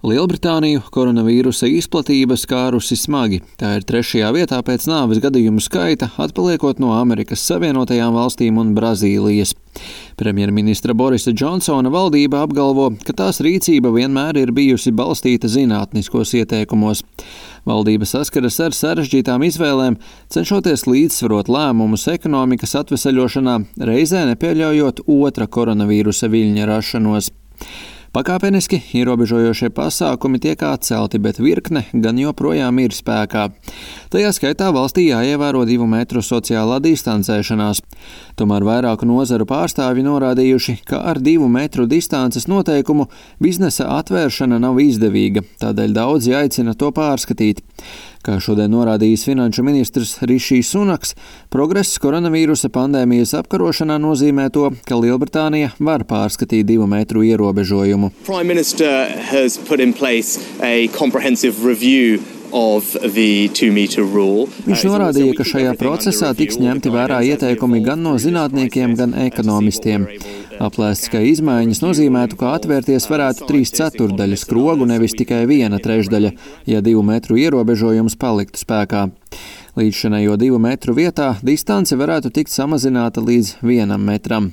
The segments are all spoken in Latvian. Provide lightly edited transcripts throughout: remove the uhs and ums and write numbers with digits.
Lielbritāniju koronavīrusa izplatība skārusi smagi. Tā ir 3. vietā pēc nāves gadījumu skaita, atpaliekot no Amerikas Savienotajām valstīm un Brazīlijas. Premjerministra Borisa Džonsona valdība apgalvo, ka tās rīcība vienmēr ir bijusi balstīta zinātniskos ieteikumos. Valdība saskaras ar sarežģītām izvēlēm, cenšoties līdzsvarot lēmumus ekonomikas atveseļošanā, reizē nepieļaujot otra koronavīrusa viļņa rašanos. Pakāpeniski ierobežojošie pasākumi tiek atcelti, bet virkne gan joprojām ir spēkā. Tajā skaitā valstī jāievēro 2 metru sociālā distancēšanās. Tomēr vairāku nozaru pārstāvji norādījuši, ka ar 2 metru distances noteikumu biznesa atvēršana nav izdevīga, tādēļ daudzi aicina to pārskatīt. Kā šodien norādījis finanšu ministrs Rišijs Sunaks, progress koronavīrusa pandēmijas apkarošanā nozīmē to, ka Lielbritānija var pārskatīt 2 metru ierobežojumu. Prime Minister has put in place a comprehensive review of the 2 meter rule. Viņš norādīja, ka šajā procesā tiks ņemti vērā ieteikumi gan no zinātniekiem, gan ekonomistiem. Aplēsts, ka izmaiņas nozīmētu, ka atvērties varētu 3/4 skrogu, nevis tikai 1/3, ja 2 metru ierobežojums paliktu spēkā. Līdzšinējo 2 metru vietā distance varētu tikt samazināta līdz 1 metram.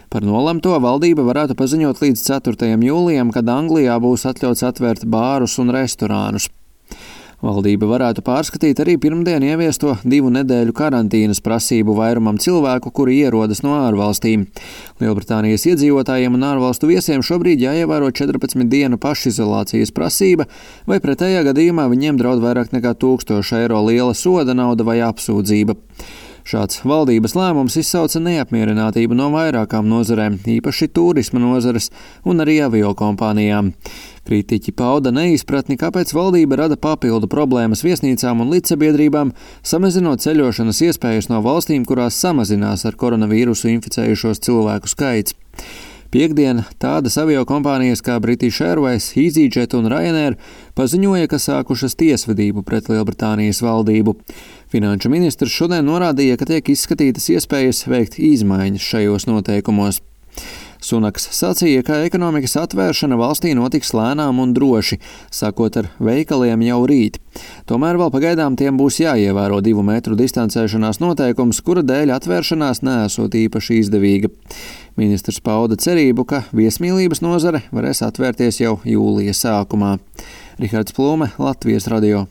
Par nolemto valdība varētu paziņot līdz 4. jūlijam, kad Anglijā būs atļauts atvērt bārus un restorānus. Valdība varētu pārskatīt arī pirmdien ieviesto 2 nedēļu karantīnas prasību vairumam cilvēku, kuri ierodas no ārvalstīm. Lielbritānijas iedzīvotājiem un ārvalstu viesiem šobrīd jāievēro 14 dienu pašizolācijas prasība, vai pretējā gadījumā viņiem draud vairāk nekā 1000 eiro liela soda nauda vai apsūdzība. Šāds valdības lēmums izsauca neapmierinātību no vairākām nozarēm, īpaši turisma nozares un arī aviokompānijām. Kritiķi pauda neizpratni, kāpēc valdība rada papildu problēmas viesnīcām un līdzsabiedrībām, samazinot ceļošanas iespējas no valstīm, kurās samazinās ar koronavīrusu inficējušos cilvēku skaits. Piektdien tādas aviokompānijas kā British Airways, EasyJet un Ryanair paziņoja, ka sākušas tiesvedību pret Lielbritānijas valdību. Finanšu ministrs šodien norādīja, ka tiek izskatītas iespējas veikt izmaiņas šajos noteikumos. Sunaks sacīja, ka ekonomikas atvēršana valstī notiks lēnām un droši, sākot ar veikaliem jau rīt. Tomēr vēl pagaidām tiem būs jāievēro 2 metru distancēšanās noteikums, kura dēļ atvēršanās neesot īpaši izdevīga. Ministrs pauda cerību, ka viesmīlības nozare varēs atvērties jau jūlija sākumā. Rihards Plūme, Latvijas radio.